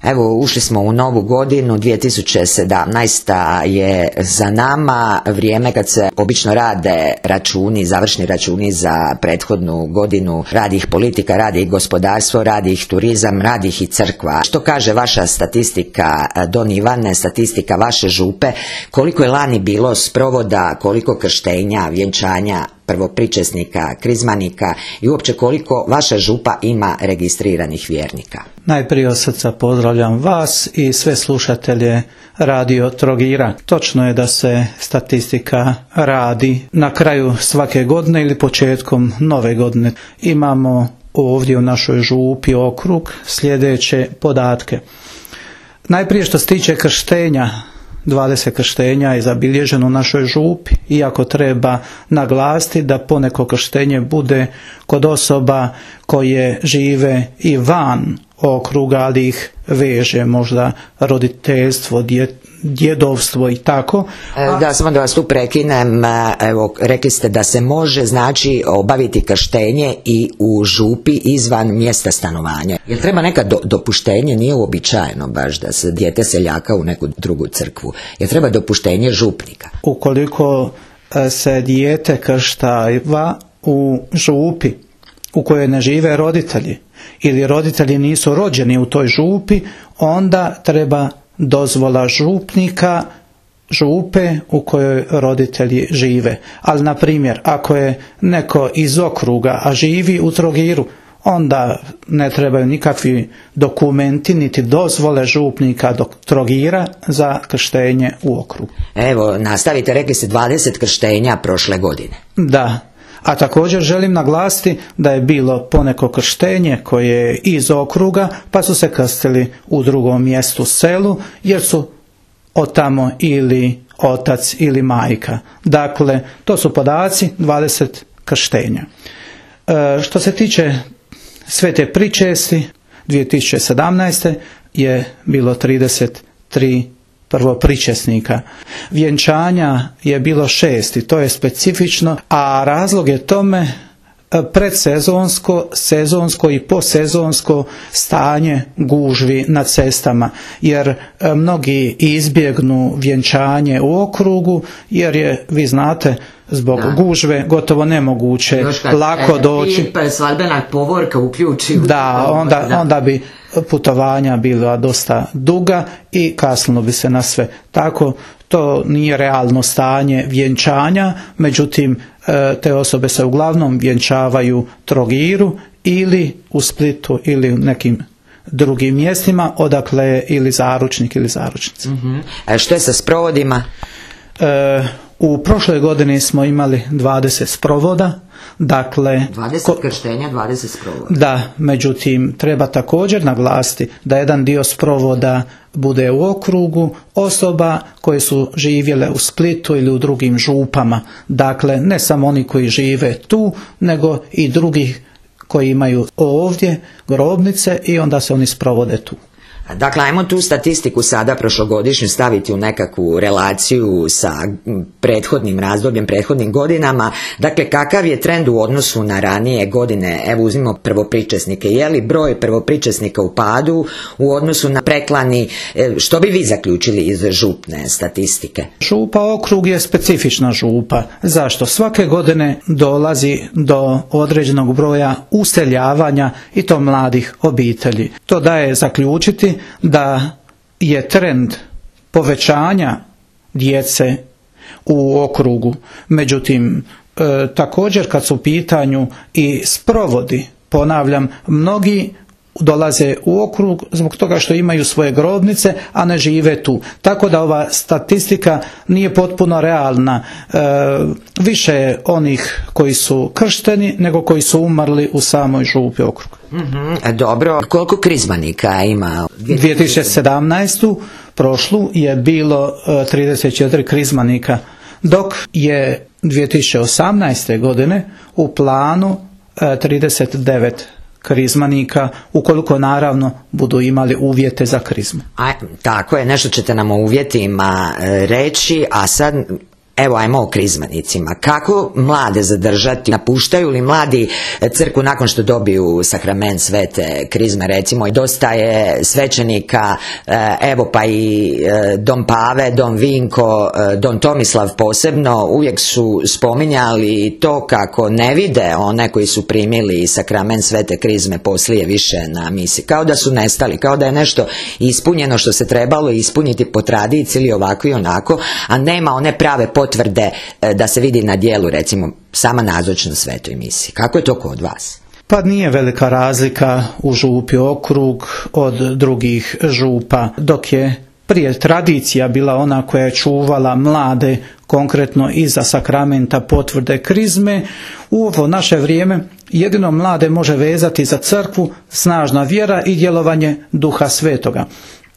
Evo, ušli smo u novu godinu, 2017. je za nama, vrijeme kad se obično rade računi, završni računi za prethodnu godinu, radi ih politika, radi ih gospodarstvo, radi ih turizam, radi ih i crkva. Što kaže vaša statistika, Don Ivane, statistika vaše župe, koliko je lani bilo sprovoda, koliko krštenja, vjenčanja, prvopričesnika, krizmanika i uopće koliko vaša župa ima registriranih vjernika? Najprije od srca pozdravljam vas i sve slušatelje Radio Trogira. Točno je da se statistika radi na kraju svake godine ili početkom nove godine. Imamo ovdje u našoj župi okrug sljedeće podatke. Najprije što se tiče krštenja, 20 krštenja je zabilježeno u našoj župi, iako treba naglasiti da poneko krštenje bude kod osoba koje žive i van okruga, ali ih veže možda roditeljstvo, djedovstvo i tako. Da, samo da vas tu prekinem, evo, rekli ste da se može znači obaviti krštenje i u župi izvan mjesta stanovanja. Jel treba neka dopuštenje? Nije uobičajeno baš da se dijete seljaka u neku drugu crkvu. Jel treba dopuštenje župnika? Ukoliko se dijete krštava u župi u kojoj ne žive roditelji ili roditelji nisu rođeni u toj župi, onda treba dozvola župnika župe u kojoj roditelji žive. Ali, na primjer, ako je neko iz okruga, a živi u Trogiru, onda ne trebaju nikakvi dokumenti niti dozvole župnika do Trogira za krštenje u okrugu. Evo, nastavite, rekli ste 20 krštenja prošle godine. Da. A također želim naglasiti da je bilo poneko krštenje koje je iz okruga, pa su se krstili u drugom mjestu, selu, jer su otamo ili otac ili majka. Dakle, to su podaci 20 krštenja. Što se tiče svete pričesti, 2017. je bilo 33 prvopričesnika. Vjenčanja je bilo 6 i to je specifično, a razlog je tome predsezonsko, sezonsko i posezonsko stanje gužvi na cestama, jer mnogi izbjegnu vjenčanje u okrugu, jer je, vi znate, zbog gužve gotovo nemoguće lako doći. Svadbena povorka uključi. Da, onda bi putovanja bila dosta duga i kasnilo bi se na sve. Tako, to nije realno stanje vjenčanja, međutim, te osobe se uglavnom vjenčavaju Trogiru ili u Splitu ili u nekim drugim mjestima, odakle je ili zaručnik ili zaručnica. A što je sa sprovodima? U prošloj godini smo imali 20 sprovoda. Dakle, 20 krštenja, 20 sprovoda. Da, međutim, treba također naglasiti da jedan dio sprovoda bude u okrugu osoba koje su živjele u Splitu ili u drugim župama. Dakle, ne samo oni koji žive tu, nego i drugih koji imaju ovdje grobnice i onda se oni sprovode tu. Dakle, ajmo tu statistiku sada prošlogodišnju staviti u nekakvu relaciju sa prethodnim razdobljem, prethodnim godinama. Dakle, kakav je trend u odnosu na ranije godine? Evo, uzmimo prvopričesnike. Je li broj prvopričesnika u padu u odnosu na preklani? Što bi vi zaključili iz župne statistike? Župa okrug je specifična župa. Zašto? Svake godine dolazi do određenog broja useljavanja i to mladih obitelji. To daje zaključiti da je trend povećanja djece u okrugu. Međutim, također kad su u pitanju i sprovodi, ponavljam, mnogi dolaze u okrug zbog toga što imaju svoje grobnice, a ne žive tu. Tako da ova statistika nije potpuno realna. Više je onih koji su kršteni nego koji su umrli u samoj župi okruga. Dobro, koliko krizmanika ima? 2017. prošlu je bilo 34 krizmanika, dok je 2018. godine u planu 39 krizmanika, ukoliko naravno budu imali uvjete za krizmu. Tako je, nešto ćete nam o uvjetima reći, a sad Evo, ajmo o krizmanicima. Kako mlade zadržati? Napuštaju li mladi crkvu nakon što dobiju sakrament svete krizme, recimo? Dosta je svećenika, evo pa i Don Pave, Don Vinko, Don Tomislav posebno, uvijek su spominjali to kako ne vide one koji su primili sakrament svete krizme poslije više na misi. Kao da su nestali, kao da je nešto ispunjeno što se trebalo ispuniti po tradiciji ili ovako i onako, a nema one prave potvrde da se vidi na dijelu, recimo, sama nazočnost svetoj misiji. Kako je to kod vas? Pa nije velika razlika u župi Okrug od drugih župa, dok je prije tradicija bila ona koja je čuvala mlade konkretno iza sakramenta potvrde krizme. U ovo naše vrijeme jedino mlade može vezati za crkvu snažna vjera i djelovanje Duha Svetoga.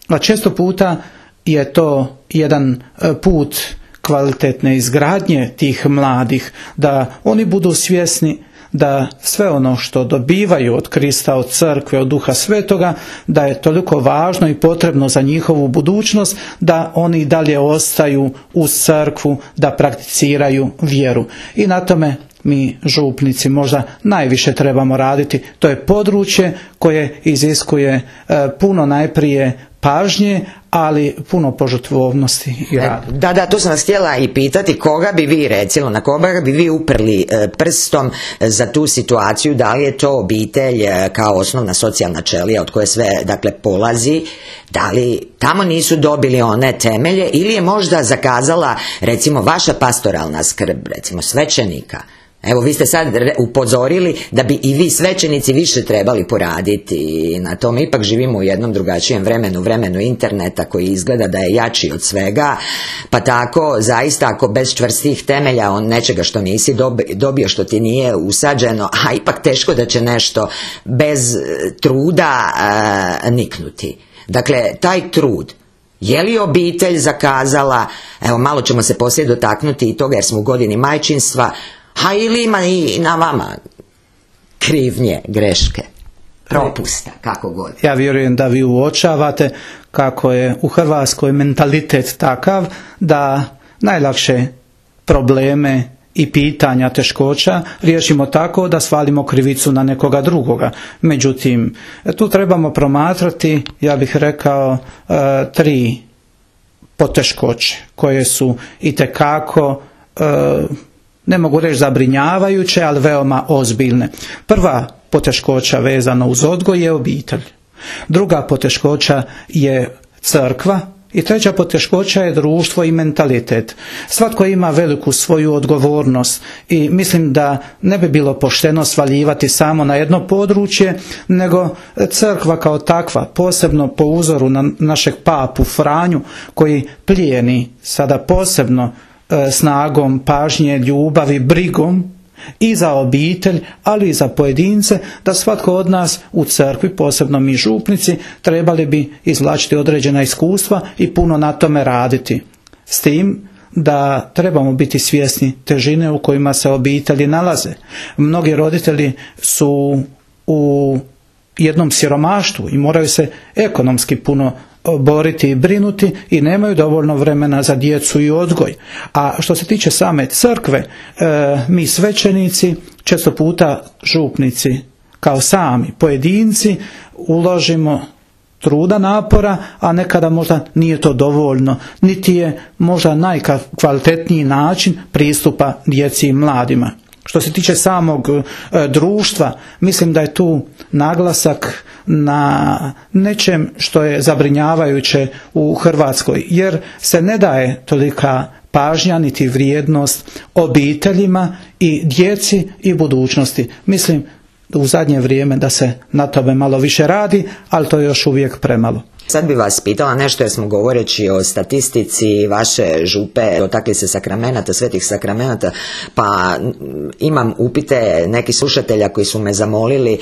A često puta je to jedan put kvalitetne izgradnje tih mladih, da oni budu svjesni da sve ono što dobivaju od Krista, od crkve, od Duha Svetoga, da je toliko važno i potrebno za njihovu budućnost, da oni dalje ostaju uz crkvu, da prakticiraju vjeru. I na tome mi župnici možda najviše trebamo raditi. To je područje koje iziskuje puno najprije pažnje, ali puno požrtvovnosti i rada. Da, to sam vas htjela i pitati, koga bi vi, recimo, na koga bi vi uprli prstom za tu situaciju, da li je to obitelj kao osnovna socijalna ćelija od koje sve, dakle, polazi, da li tamo nisu dobili one temelje, ili je možda zakazala, recimo, vaša pastoralna skrb, recimo, svećenika? Evo, vi ste sad upozorili da bi i vi svećenici više trebali poraditi na tome. Ipak živimo u jednom drugačijem vremenu interneta koji izgleda da je jači od svega, pa tako zaista ako bez čvrstih temelja on nečega što nisi dobio, što ti nije usađeno, a ipak teško da će nešto bez truda niknuti. Dakle, taj trud, je li obitelj zakazala, evo malo ćemo se poslije dotaknuti i toga jer smo u godini majčinstva, a ili ima i na vama krivnje, greške, propusta, kako god. Ja vjerujem da vi uočavate kako je u Hrvatskoj mentalitet takav da najlakše probleme i pitanja, teškoća riješimo tako da svalimo krivicu na nekoga drugoga. Međutim, tu trebamo promatrati, ja bih rekao, 3 poteškoće koje su itekako ne mogu reći zabrinjavajuće, ali veoma ozbiljne. Prva poteškoća vezana uz odgoj je obitelj. Druga poteškoća je crkva i treća poteškoća je društvo i mentalitet. Svatko ima veliku svoju odgovornost i mislim da ne bi bilo pošteno svaljivati samo na jedno područje, nego crkva kao takva, posebno po uzoru na našeg papu Franju koji plijeni sada posebno snagom, pažnje, ljubavi, brigom i za obitelj, ali i za pojedince, da svatko od nas u crkvi, posebno mi župnici, trebali bi izvlačiti određena iskustva i puno na tome raditi. S tim da trebamo biti svjesni težine u kojima se obitelji nalaze. Mnogi roditelji su u jednom siromaštvu i moraju se ekonomski puno boriti i brinuti i nemaju dovoljno vremena za djecu i odgoj. A što se tiče same crkve, mi svećenici, često puta župnici kao sami pojedinci, uložimo truda, napora, a nekada možda nije to dovoljno, niti je možda najkvalitetniji način pristupa djeci i mladima. Što se tiče samog društva, mislim da je tu naglasak na nečem što je zabrinjavajuće u Hrvatskoj, jer se ne daje tolika pažnja niti vrijednost obiteljima i djeci i budućnosti. Mislim u zadnje vrijeme da se na tome malo više radi, ali to je još uvijek premalo. Sad bi vas pitala nešto jer smo govoreći o statistici vaše župe, dotakli se sakramenata, svetih sakramenata, pa imam upite nekih slušatelja koji su me zamolili,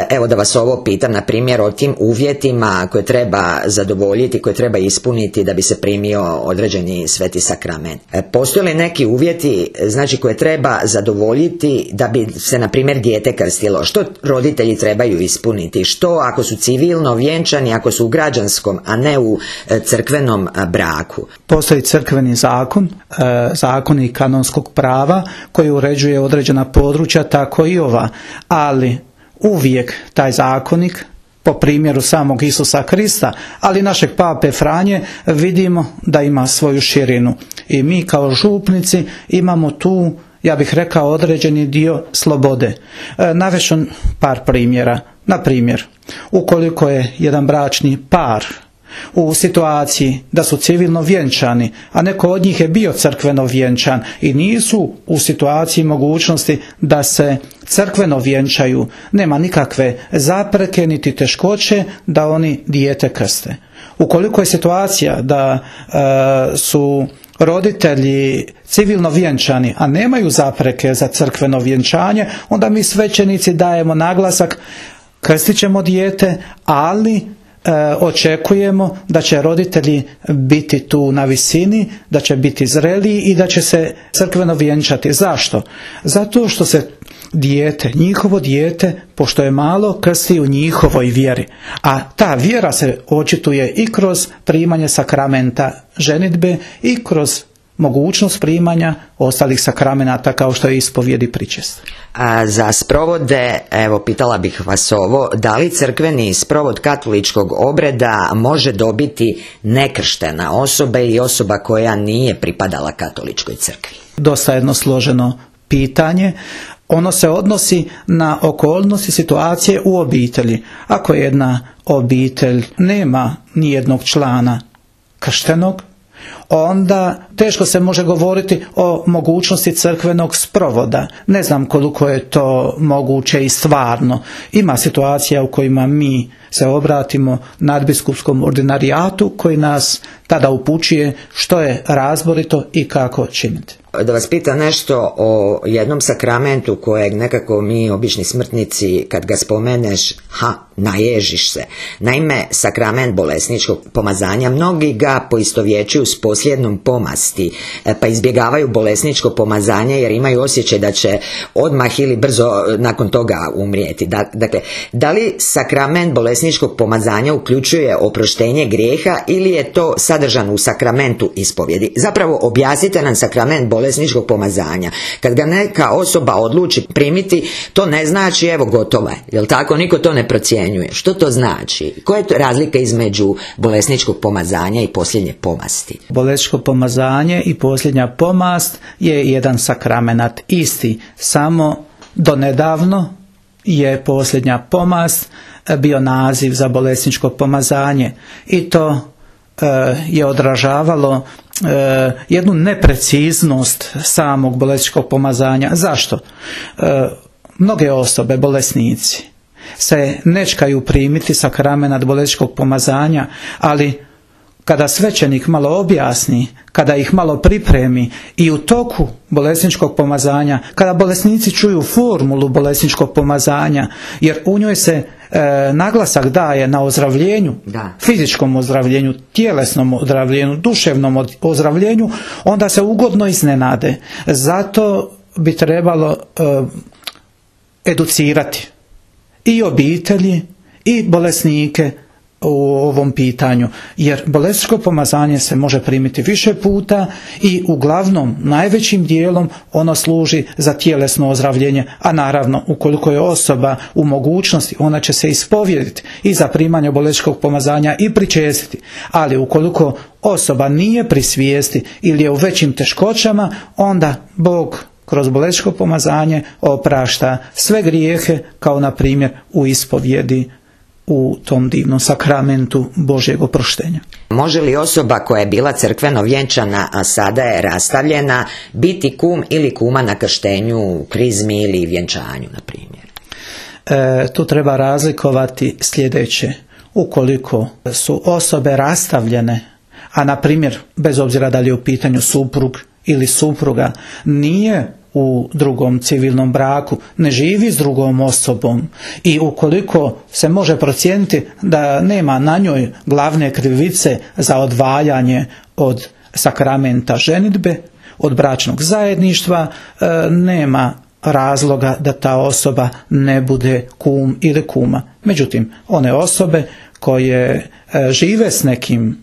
evo da vas ovo pitam, na primjer o tim uvjetima koje treba zadovoljiti, koje treba ispuniti da bi se primio određeni sveti sakrament. Postoje li neki uvjeti, znači, koje treba zadovoljiti da bi se, na primjer, dijete krstilo? Što roditelji trebaju ispuniti? Što ako su civilno vjenčani, ako su u građanskom građanskom, a ne u crkvenom braku? Postoji crkveni zakon, zakoni kanonskog prava koji uređuje određena područja, tako i ova, ali uvijek taj zakonik, po primjeru samog Isusa Krista, ali našeg pape Franje, vidimo da ima svoju širinu. I mi kao župnici imamo tu, ja bih rekao, određeni dio slobode. Navest ću par primjera. Na primjer, ukoliko je jedan bračni par u situaciji da su civilno vjenčani, a neko od njih je bio crkveno vjenčan i nisu u situaciji mogućnosti da se crkveno vjenčaju, nema nikakve zapreke niti teškoće da oni dijete krste. Ukoliko je situacija da su roditelji civilno vjenčani, a nemaju zapreke za crkveno vjenčanje, onda mi svećenici dajemo naglasak, krstit ćemo dijete, ali očekujemo da će roditelji biti tu na visini, da će biti zreliji i da će se crkveno vjenčati. Zašto? Zato što se dijete, njihovo dijete, pošto je malo, krsti u njihovoj vjeri. A ta vjera se očituje i kroz primanje sakramenta ženidbe i kroz mogućnost primanja ostalih sakramenata kao što je ispovijed i pričest. A za sprovode, evo pitala bih vas ovo, da li crkveni sprovod katoličkog obreda može dobiti nekrštena osoba i osoba koja nije pripadala katoličkoj crkvi? Dosta jedno složeno pitanje. Ono se odnosi na okolnosti situacije u obitelji. Ako jedna obitelj nema nijednog člana krštenog, onda teško se može govoriti o mogućnosti crkvenog sprovoda. Ne znam koliko je to moguće i stvarno. Ima situacija u kojima mi se obratimo nadbiskupskom ordinarijatu koji nas tada upućuje što je razborito i kako činiti. Da vas pitam nešto o jednom sakramentu kojeg nekako mi obični smrtnici kad ga spomeneš, naježiš se. Naime, sakrament bolesničkog pomazanja, mnogi ga poistovjećuju s posljednom pomasti, pa izbjegavaju bolesničko pomazanje jer imaju osjećaj da će odmah ili brzo nakon toga umrijeti. Dakle, da li sakrament bolesničkog pomazanja uključuje oproštenje grijeha ili je to sadržano u sakramentu ispovjedi? Zapravo objasnite nam sakrament bolesničkog pomazanja. Kad ga neka osoba odluči primiti, to ne znači evo gotovo je, jel tako? Niko to ne procjenjuje. Što to znači? Koja je to razlika između bolesničkog pomazanja i posljednje pomasti? Bolesničko pomazanje i posljednja pomast je jedan sakramenat isti, samo donedavno je posljednja pomast bio naziv za bolesničko pomazanje i to je odražavalo jednu nepreciznost samog bolesničkog pomazanja. Zašto? Mnoge osobe, bolesnici, se nečkaju primiti sakramenat bolesničkog pomazanja, ali kada svećenik malo objasni, kada ih malo pripremi i u toku bolesničkog pomazanja, kada bolesnici čuju formulu bolesničkog pomazanja, jer u njoj se naglasak daje na ozdravljenju, fizičkom ozdravljenju, tjelesnom ozdravljenju, duševnom ozdravljenju, onda se ugodno iznenade. Zato bi trebalo educirati i obitelji i bolesnike u ovom pitanju, jer bolesničko pomazanje se može primiti više puta i uglavnom najvećim dijelom ono služi za tjelesno ozdravljenje, a naravno ukoliko je osoba u mogućnosti ona će se ispovjediti i za primanje bolesničkog pomazanja i pričestiti, ali ukoliko osoba nije pri svijesti ili je u većim teškoćama, onda Bog kroz bolesničko pomazanje oprašta sve grijehe, kao na primjer u ispovjedi u tom divnom sakramentu Božjeg oproštenja. Može li osoba koja je bila crkveno vjenčana, a sada je rastavljena, biti kum ili kuma na krštenju, krizmi ili vjenčanju, na primjer? Tu treba razlikovati sljedeće. Ukoliko su osobe rastavljene, a na primjer, bez obzira da li je u pitanju suprug ili supruga, nije u drugom civilnom braku, ne živi s drugom osobom i ukoliko se može procijeniti da nema na njoj glavne krivice za odvajanje od sakramenta ženidbe, od bračnog zajedništva, nema razloga da ta osoba ne bude kum ili kuma. Međutim, one osobe koje žive s nekim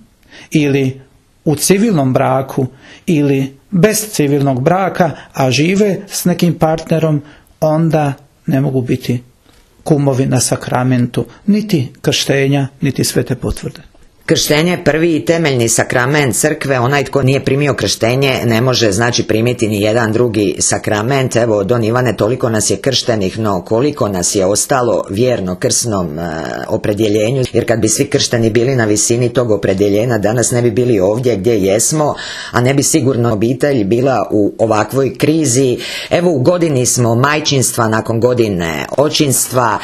ili u civilnom braku ili bez civilnog braka, a žive s nekim partnerom, onda ne mogu biti kumovi na sakramentu, niti krštenja, niti svete potvrde. Krštenje je prvi i temeljni sakrament crkve. Onaj tko nije primio krštenje ne može znači primiti ni jedan drugi sakrament. Evo, Don Ivane, toliko nas je krštenih, no koliko nas je ostalo vjerno krsnom opredjeljenju, jer kad bi svi kršteni bili na visini tog opredjeljenja, danas ne bi bili ovdje gdje jesmo, a ne bi sigurno obitelj bila u ovakvoj krizi. Evo, u godini smo majčinstva, nakon godine očinstva.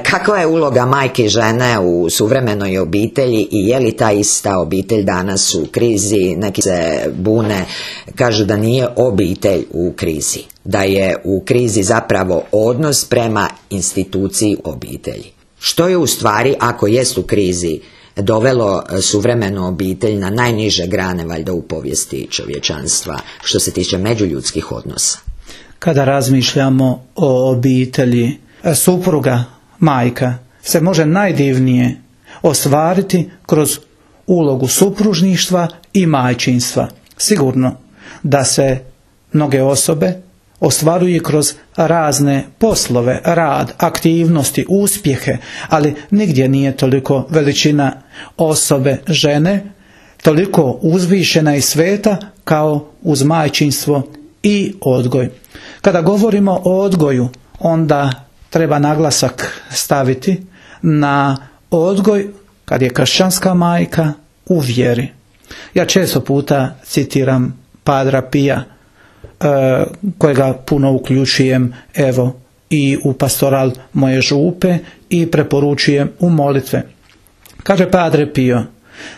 Kakva je uloga majke i žene u suvremenoj obitelji i je li ta ista obitelj danas u krizi? Neki se bune, kažu da nije obitelj u krizi, da je u krizi zapravo odnos prema instituciji obitelji. Što je u stvari, ako jest u krizi, dovelo suvremenu obitelj na najniže grane valjda u povijesti čovječanstva što se tiče međuljudskih odnosa? Kada razmišljamo o obitelji, supruga, majka se može najdivnije ostvariti kroz ulogu supružništva i majčinstva. Sigurno da se mnoge osobe ostvaruju kroz razne poslove, rad, aktivnosti, uspjehe, ali nigdje nije toliko veličina osobe žene, toliko uzvišena i sveta kao uz majčinstvo i odgoj. Kada govorimo o odgoju, onda treba naglasak staviti na odgoj kad je kršćanska majka u vjeri. Ja često puta citiram Padra Pija, kojega puno uključujem evo i u pastoral moje župe i preporučujem u molitve. Kaže Padre Pio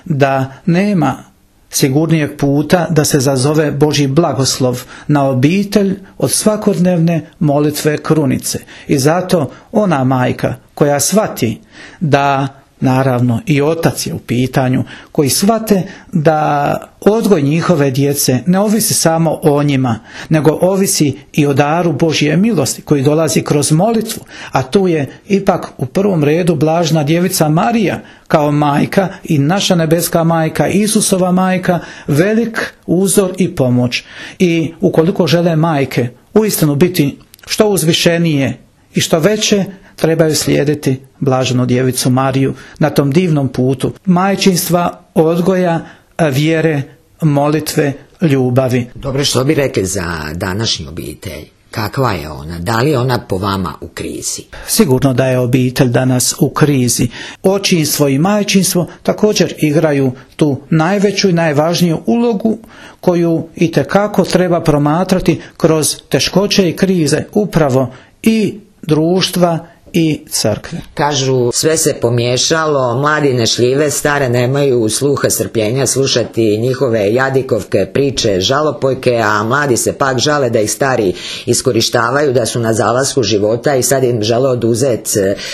da nema sigurnijeg puta da se zazove Božji blagoslov na obitelj od svakodnevne molitve krunice. I zato ona majka koja shvati da, naravno i otac je u pitanju, koji shvate da odgoj njihove djece ne ovisi samo o njima, nego ovisi i o daru Božje milosti koji dolazi kroz molitvu, a tu je ipak u prvom redu blažna djevica Marija kao majka i naša nebeska majka, Isusova majka, velik uzor i pomoć. I ukoliko žele majke uistinu biti što uzvišenije i što veće, trebaju slijediti blaženu djevicu Mariju na tom divnom putu majčinstva, odgoja, vjere, molitve, ljubavi. Dobro, što bi rekli za današnju obitelj? Kakva je ona? Da li je ona po vama u krizi? Sigurno da je obitelj danas u krizi. Očinstvo i majčinstvo također igraju tu najveću i najvažniju ulogu koju itekako treba promatrati kroz teškoće i krize upravo i društva i crkve. Kažu, sve se pomiješalo, mladi ne šljive, stare nemaju sluha strpljenja slušati njihove jadikovke, priče, žalopojke, a mladi se pak žale da ih stari iskorištavaju, da su na zalasku života i sad im žele oduzeti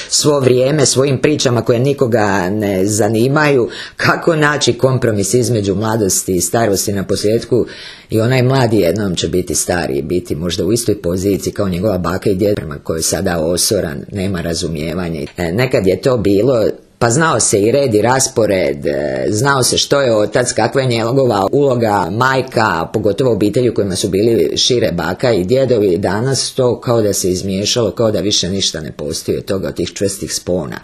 svo vrijeme svojim pričama koje nikoga ne zanimaju. Kako naći kompromis između mladosti i starosti? Na posljedku i onaj mladi jednom će biti stari, biti možda u istoj poziciji kao njegova baka i djed prema kojoj sada osoran, nema razumijevanja. Nekad je to bilo, pa znao se i red i raspored, znao se što je otac, kakva je njegova uloga, majka, pogotovo obitelji u kojima su bili šire baka i djedovi. Danas to kao da se izmiješalo, kao da više ništa ne postoji od toga, od tih čvrstih spona.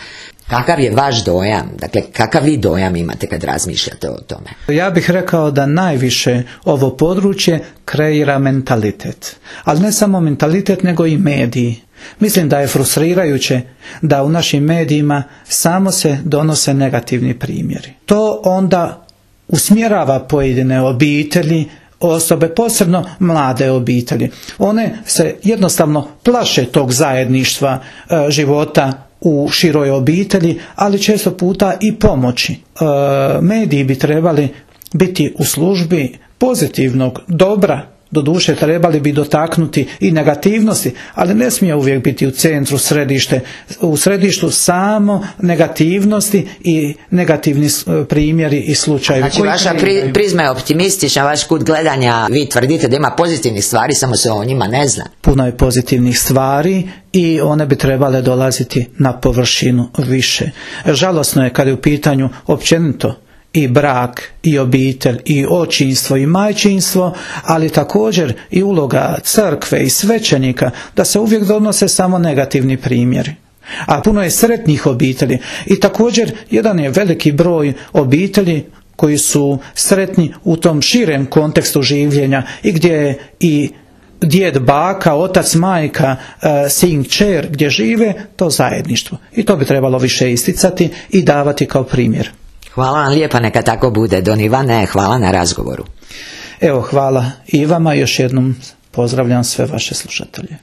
Kakav je vaš dojam? Dakle, kakav vi dojam imate kad razmišljate o tome? Ja bih rekao da najviše ovo područje kreira mentalitet. Ali ne samo mentalitet, nego i mediji. Mislim da je frustrirajuće da u našim medijima samo se donose negativni primjeri. To onda usmjerava pojedine obitelji, osobe, posebno mlade obitelji. One se jednostavno plaše tog zajedništva života u široj obitelji, ali često puta i pomoći. Mediji bi trebali biti u službi pozitivnog dobra Doduše trebali bi dotaknuti i negativnosti, ali ne smije uvijek biti u centru, u središtu samo negativnosti i negativni primjeri i slučajevi. Znači vaša prizma je optimistična, vaš kut gledanja, vi tvrdite da ima pozitivnih stvari, samo se o njima ne zna. Puno je pozitivnih stvari i one bi trebale dolaziti na površinu više. Žalosno je kada je u pitanju općenito i brak, i obitelj, i očinstvo, i majčinstvo, ali također i uloga crkve i svećenika, da se uvijek donose samo negativni primjeri. A puno je sretnih obitelji i također jedan je veliki broj obitelji koji su sretni u tom širem kontekstu življenja i gdje je i djed, baka, otac, majka, sin, kćer, gdje žive to zajedništvo. I to bi trebalo više isticati i davati kao primjer. Hvala vam lijepa, neka tako bude. Don Ivane, hvala na razgovoru. Evo, hvala i vama, još jednom pozdravljam sve vaše slušatelje.